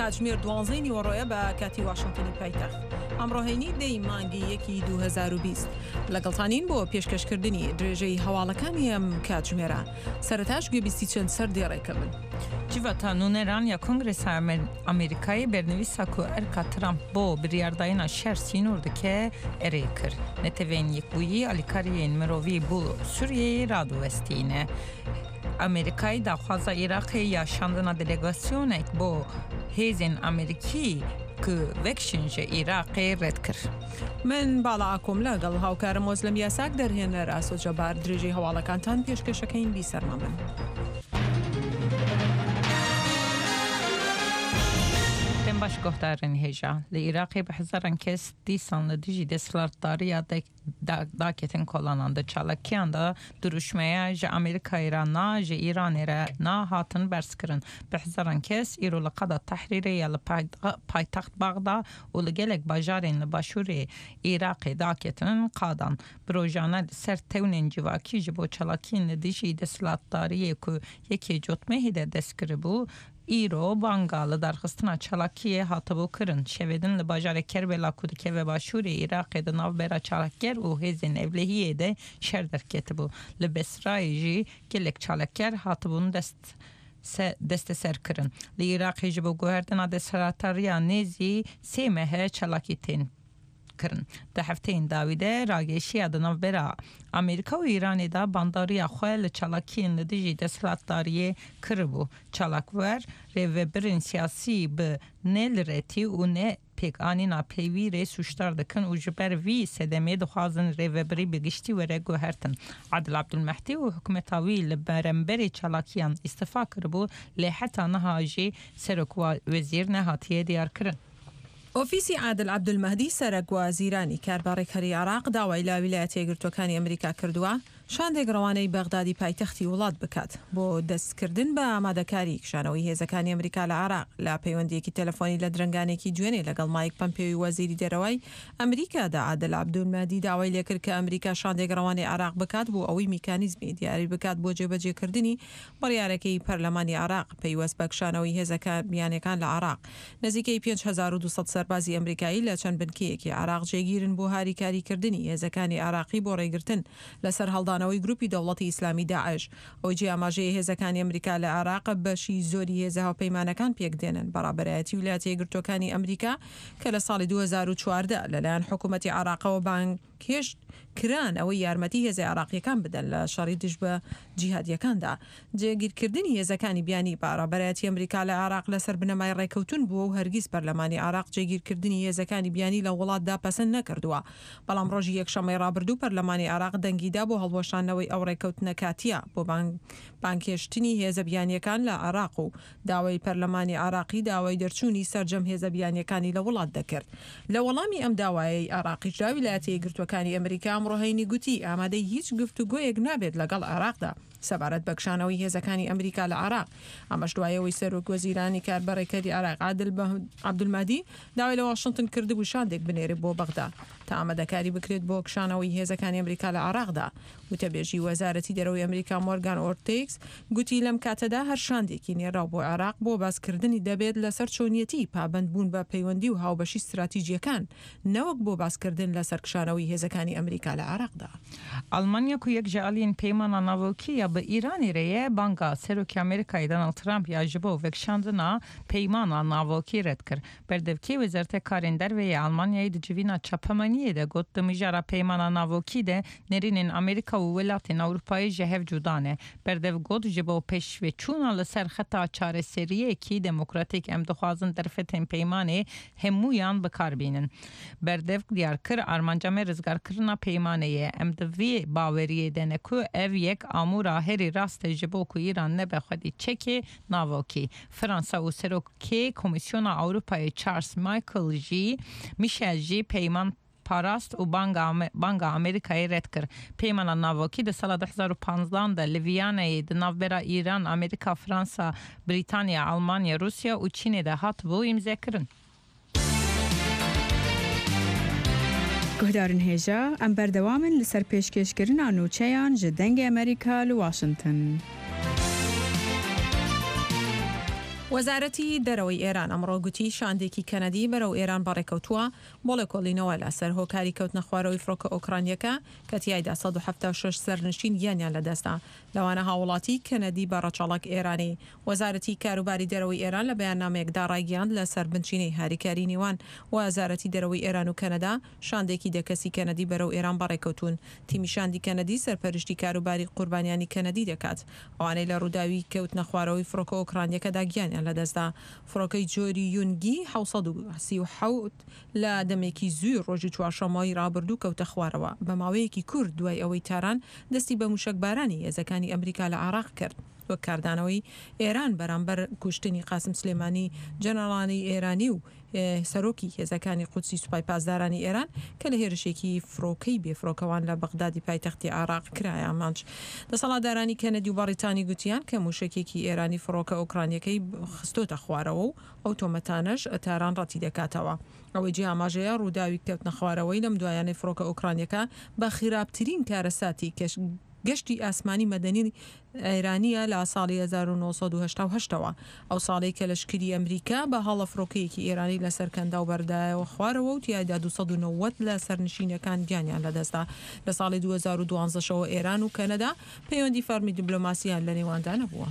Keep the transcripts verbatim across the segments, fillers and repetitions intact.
کاتژمێر دوانزەی نیوەڕۆیە بە کاتی واشنگتنی پایتەخت. ئەمڕۆ هەینی دەی مانگی یەکی دوو هەزار و بیست لەگەڵتانین بۆ پێشکەشکردنی درێژەی هەواڵەکانی ئەم کاتژمێرە. سەرەتاش گوێبیستی چەند سەردێڕێکە بن. Civata Nûneran ya Kongresa Amerîkayê bernivîsa ku erka Trump bo biryardayîna şer sînor dike erê kir. Neteweyên Yekbûyî alîkariyên mirovî bo Sûriyeyê radiwestîne. Amerîkayê daxwaza Iraqê ya şandina delegasyonek bo hêzên Amerîkî ku vekşin ji Iraqê red kir. من باڵا ئاکۆم لەگەڵ هاوکارم مۆزلم یاساک دەرهێنەر ئاسۆ جەبار درێژەی هەواڵەکانتان پێشکەشەکەین بیسەرما بن. Baş guhdarên hêja li Iraqê bi hezaran kes dîsan li dijî desthilatdariya daketin kolanan di çalakiyan de dirûşmeya ji Amerîkayê re na ji Îranê re na hatin berzkirin. Bi hezaran kes îro li qada Tehrîrê ya li paytext Bexda û li gelek bajarên li başûrê Iraqê daketin qadan. Bi rojane li ser tewnên civakî ji bo çalakiyên li dijî desthilatdariyê ku yekê cotmehê de dest kiribû îro banga li darxistina çalakiyê hatibû kirin. Şevêdin li bajarê Kerbela ku dikeve başûrê Iraqê di navbera çalakger û hêzên ewlehiyê de şer derketibû. Li Besrayê jî gelek çalakger hatibûn dest desteser kirin. Li Iraqê ji bo guhertina desthilatdariya nêzî sê mehe çalakî tên kirin. Di hefteyên dawî de rageşiya di navbera Amerîka û Îranê de bandariya xwe li çalakiyên li dijî desthilatdariyê kiribû. Çalakwer rêvebirên siyasî bi nelirêtî û ne pêkanîna peywîrê sûcdar dikin û ji ber vî sedemê dixwazin rêvebirî bi giştî were guhertin. Adil Abdulmehdî û hikûmeta wî li beremberê çalakiyan îstifa kiribû lê heta niha jî serokwezîr nehatiye diyarkirin. ئۆفیسی عادل عەبدولمەهدی سەرەک وەزیرانی کاربارێکەری عێراق داوای لە ویلایەتە یەکگرتووەکانی ئەمریکا کردووە شاندێک ڕەوانەی بەغدادی پایتەختی وڵات بکات بۆ دەستکردن بە ئامادەکاری کشانەوەی هێزەکانی ئەمریکا لە عێراق. لە پەیوەندیەکی تەلەفۆنی لە درەنگانێکی دوێنێ لەگەڵ مایک پەمپێوی وەزیری دەرەوەی ئەمریکادا عادل عەبدولمەهدی داوای لێکرد کە ئەمریکا شاندێک ڕەوانەی عێراق بکات بۆ ئەوەی میکانیزمی دیاری بکات بۆ جێبەجێکردنی بڕیارەکەی پەرلەمانی عێراق پەیوەست بە کشانەوەی هێزەکان بیانیەکان لە عێراق. نزیکەی پێنج هەزار و دوو سەد سەربازی ئەمریکایی لە چەند بنکەیەکی عێراق جێگیرن بۆ هاریکاریکردنی هێزەکانی عێراقی بۆ ڕێگرتن لەسەر هەڵدانەوەی گروپی دەوڵەتی ئیسلامی داعش. ئەو جێ ئاماژەیە هێزەکانی ئەمریکا لە عێراق بەشی زۆری هێزە هاوپەیمانەکان پێکدێنن بەڕابەرایەتی ویلایەتە یەکگرتووەکانی ئەمریکا کە لە ساڵی دوو هەزار و چواردە لەلایەن حکوومەتی عێراقەوە بانگهێشت کران ئەوەی یارمەتی هێزە عێراقیەکان بدەن لە شەڕی دژ بە جیهادیەکاندا. جێگیرکردنی هێزەکانی بیانی بە ڕابەرایەتی ئەمریکا لە عێراق لەسەر بنەمای ڕێکەوتن بووە و هەرگیز پەرلەمانی عێراق جێگیرکردنی هێزەکانی بیانی لە وڵاتدا پەسەند نەکردووە. بەڵام ڕۆژی یەکشەممەی ڕابردوو پەرلەمانی عێراق دەنگیدا بۆ هەڵوەشانەوەی ئەو ڕێکەوتنە کاتیە بۆ بانگهێشتنی هێزە بیانیەکان لە عێراق و داوای پەرلەمانی عێراقی داوای دەرچوونی سەرجەم هێزە بیانیەکانی لە وڵات دەکرد. لە وەڵامی ئەم داوایەی عێراقیشدا ویلایەتە یەکگرتووەکانی ئەمریکا ئەمڕۆ هەینی گوتی ئامادەی هیچ گفتوگۆیەک نابێت لەگەڵ عێراقدا سەبارەت بە کشانەوەی هێزەکانی ئەمریکا لە عێراق. ئەمەش دوایەوەی سەرۆک وەزیرانی کاربەڕێکەری عێراق عادل عەبدولمەهدی داوای لە واشنگتن کردبوو شاندێک بنێرێت بۆ بەغدا تا ئامادەکاری بکرێت بۆ کشانەوەی هێزەکانی ئەمریکا لە عێراقدا. وتەبێژی وەزارەتی دەرەوەی ئەمریکا مۆرگان ئۆرتێکس گوتی لەم کاتەدا هەر شاندێکی نێراو بۆ عێراق بۆ باسکردنی دەبێت لەسەر چۆنیەتی پابەندبوون بە پەیوەندی و هاوبەشی استراتیژیەکان نەوەک بۆ باسکردن لەسەر کشانەوەی هێزەکانی ئەمریکا لە عێراقدا. ئەڵمانیا ku yek ji aliyên peymana navokî ya bi Îranê re ye banga Serokê Amerîkayê Donald Trump ya ji bo vekşandina peymana navokî red kir. Berdevkê Wezareta Karên Derve yê Almanyayê di civîna çapemeniyê de got di mijara peymana navokî de nerînên Amerîka û welatên Ewropayê ji hev cuda ne. Berdev got ji bo pêşveçûna li ser xeta çareseriyekî demokratîk em dixwazin derfetên peymanê hemûyan bikar bînin. Berdev diyar kir armanca me rizgarkirina peymanê ye. Em di vê baweriyê de ne ku ev yek amûra herî rast e ji bo ku Îran nebe xwedî çekê navokî. Fransa û Serokê Komîsyona Ewropayê Charles Michael jî Michel jî peyman parast û banga banga Amerîkayê red kir. Peymana navokî di sala du hezar û panzdan de li Viyanayê di navbera Îran, Amerîka, Fransa, Brîtanya, Almanya, Rûsya û Çînê de hatibû îmzekirin. Guhdarên hêja em berdewam in li ser pêşkêşkirina nûçeyan ji Dengê Amerîka li Washington. وەزارەتی دەرەوەی ئێران ئەمڕۆ گوتی شاندێکی کەنەدی بەرەو ئێران بەڕێکەوتووە بۆ لێکۆڵینەوە لەسەر هۆکاری کەوتنە خوارەوەی فڕۆکە ئۆکرانیەکە کە تیایدا سەد و حەفتا و شەش سەرنشین گیانیان لەدەستدا، لەوانە هاووڵاتی کەنەدی بە ڕەچەڵەک ئێرانی. وەزارەتی کاروباری دەرەوەی ئێران لە بەیاننامەیەکدا ڕایگەیاند لەسەر بنچینەی هاریکاری نێوان وەزارەتی دەرەوەی ئێران و کەنەدا شاندێکی دە کەسی کەنەدی بەرەو ئێران بەڕێکەوتوون. تیمی شاندی کەنەدی سەرپەرشتی کاروباری قوربانیانی کەنەدی دەکات، ئەوانەی لە ڕووداوی کەوتنە خوارەوەی فڕۆکە ئۆکرانیەکەدا گیانیان لەدەستدا. فڕۆکەی جۆری یونگی حەوت سەد و سی و حەوت لە دەمێکی زووی ڕۆژی چوارشەممەی ڕابردوو کەوتە خوارەوە، بە ماوەیەکی کورت دوای ئەوەی تاران دەستی بە موشەکبارانی هێزەکانی ئەمریکا لە عێراق کرد وەک کاردانەوەی ئێران بەرامبەر کوشتنی قاسم سلێمانی جەنەڕاڵی ئێرانی و سەرۆکی هێزەکانی قودسی سوپای پاسدارانی ئێران کە لە هێرشێکی فڕۆکەی بێفڕۆکەوان لە بەغدادی پایتەختی عێراق کرایە ئامانج. دەسەڵاتدارانی کەنەدی و بەڕیتانی گوتیان کە موشەکێکی ئێرانی فڕۆکە ئۆکرانیەکەی خستۆتە خوارەوە و ئەو تۆمەتانەش تاران ڕەتی دەکاتەوە. ئەوەی جێ ئاماژەیە ڕووداوی کەوتنە خوارەوەی لەم دوایانەی فڕۆکە ئۆکرانیەکە بە خراپترین کارەساتی گەشتی ئاسمانی مەدەنی ئێرانیە لە ساڵی هەزار و نۆ سەد و هەشتا و هەشت ەوە، ئەو ساڵەی کە لەشکری ئەمریکا بە هەڵە فڕۆکەیەکی ئێرانی لەسەر کەنداو بەردایەوە خوارەوە و تیایدا دوو سەد و نەوەد لە سەرنشینەکان گیانیان لەدەستدا. لە ساڵی دوو هەزار و دوازدە ەوە ئێران و کەنەدا پەیوەندی فەرمی دیبلۆماسیان لە نێواندا نەبووە.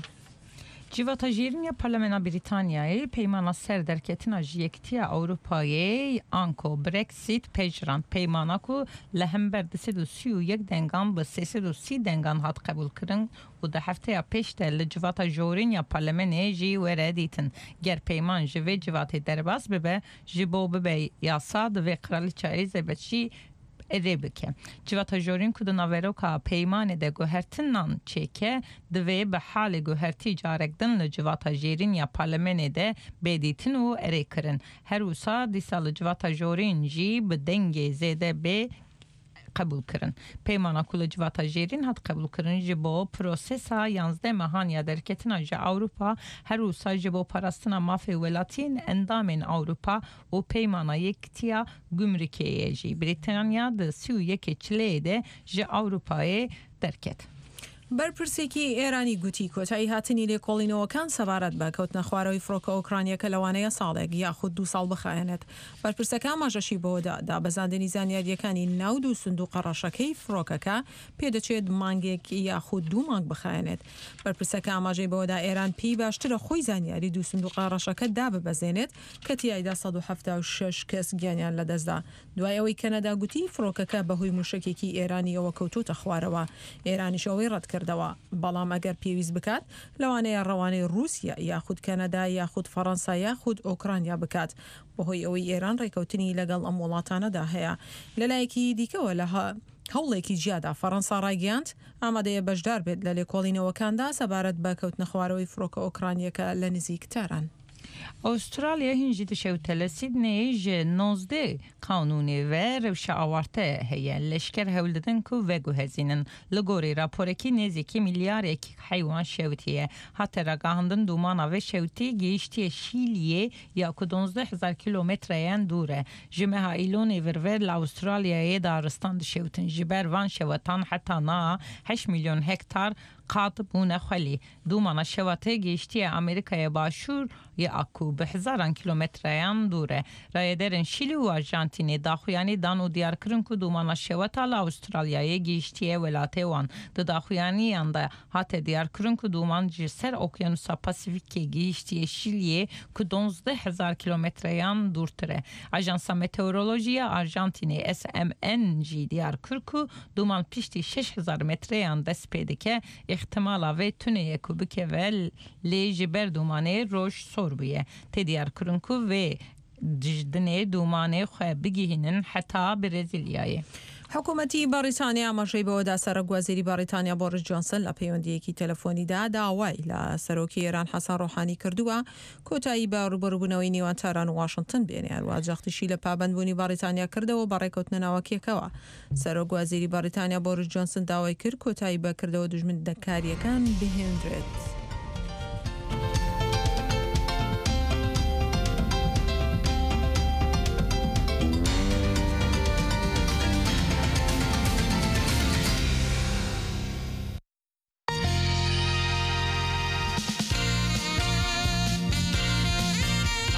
Civata Jêrîn ya Parlamena Brîtanyayê peymana ser derketina ji Yekîtiya Ewropayê anko Brexit pejirand. Peymana ku li hember du sed û sî û yek dengan bi sê sed û sî dengan hat qebûlkirin û di hefteya pêş de li Civata Jorîn ya Parlamenê jî were dîtin. Ger peyman ji vê civatê derbas bibe, ji bo bibe yasa divê Kraliça Elizabeth jî erê bike. Civata Jorîn ku di naveroka peymanê de guhertinan çêke, divê bi halê guhertî carek din li Civata Jêrîn ya Parlamenê de bê dîtin û erê kirin. Her wisa dîsa li Civata Jorîn jî bi dengê zêde bê qebûlkirin. Peymana ku li Civata Jêrîn hat qebûlkirin ji bo prosesa yanzdeh mehan ya derketina ji Ewropa, her wisa ji bo parastina mafê welatiyên endamên Ewropa û peymana Yekîtiya Gumrikê jî. Brîtanya di sî û yekê Çileyê de ji Ewropayê derket. بەرپرسێکی ئێرانی گوتی کۆتایی هاتنی لێکۆڵینەوەکان سەبارەت بە کەوتنە خوارەوەی فڕۆکە ئۆکرانیەکە لەوانەیە ساڵێک یاخود دوو ساڵ بخایەنێت. بەرپرسەکە ئاماژەشی بەوەدا دابەزاندنی زانیاریەکانی ناو دوو سندوقە ڕەشەکەی فڕۆکەکە پێدەچێت مانگێک یاخود دوو مانگ بخایەنێت. بەرپرسەکە ئاماژەی بەوەدا ئێران پێی باشترە خۆی زانیاری دوو سندوقە ڕەشەکە داببەزێنێت کە تیایدا سەد و حەفتا و شەش کەس گیانیان لەدەستدا. دوای ئەوەی کەنەدا گوتی فڕۆکەکە بەهۆی موشەکێکی ئێرانیەوە کەوتۆتە خوارەوە، ئێرانیش ئەوەی ڕەت کردەوە. بەڵام ئەگەر پێویست بکات لەوانەیە ڕەوانەی رووسیا یاخود کەنەدا یاخود فەڕەنسا یاخود ئۆکرانیا بکات، بەهۆی ئەوەی ئێران ڕێکەوتنی لەگەڵ ئەم وڵاتانەدا هەیە. لەلایەکی دیکەوە لە هەوڵێکی جیادا فەڕەنسا ڕایگەیاند ئامادەیە بەشدار بێت لە لێکۆڵینەوەکاندا سەبارەت بە کەوتنە خوارەوەی فڕۆکە ئۆکرانیەکە لە نزیک تاران. Avustralya hîn jî dişewte li Sydneyê ji nozdeh qanûnê ve rewşa awarte heye. Leşker hewl didin ku veguhezînin. Li gorî raporekî nêzîkî milyarek heywan şewitiye. Hate ragihandin dûmana vê şewitî gihîştiye Şîliyê ya ku dozdeh hezar kîlometreyan dûr e. Ji meha Îlonê vir ve li Avustralyayê daristan dişewitin. Ji ber van şewetan heta niha heşt milyon hektar qad bûne xwelî. Dûmana şewatê gihîştiye Amerîkaya Başûr ya ku bi hezaran kîlometreyan dûr e. Rayederên Şîlî û Arjantînê daxuyanî dan û diyar kirin ku dûmana şewata li Avustralyayê gihîştiye welatê wan. Di daxuyaniyan de hate diyar kirin ku dûman ji ser Okyanusa Pasifîkê gihîştiye Şîliyê ku dozdeh hezar kîlometreyan dûrtir e. Ajansa Meteorolojiya Arjantînê S M N jî diyar kir ku dûman piştî şeş hezar metreyan dest pê dike, îhtimala vê tuneye ku bikeve lê ji ber dûmanê roj sor bûye. Tê diyar kirin ku vê dinê dûmanê xwe bigihînin heta Brezîlyayê. حکوومەتی بەڕیتانیا ئاماژەی بەوەدا سەرۆک وەزیری بەڕیتانیا بۆریس جۆنسن لە پەیوەندیەکی تەلەفۆنیدا داوای لە سەرۆکی ئێران حەسەن ڕۆحانی کردووە کۆتایی بە ڕووبەڕووبوونەوەی نێوان تاران و واشنگتن بێنێ. هەروەها جەختیشی لە پابەندبوونی بەڕیتانیا کردەوە بە ڕێکەوتنە ناوەکیەکەوە. سەرۆک وەزیری بەڕیتانیا بۆریس جۆنسن داوای کرد کۆتایی بە کردەوە دوژمندەکاریەکان بهێنرێت.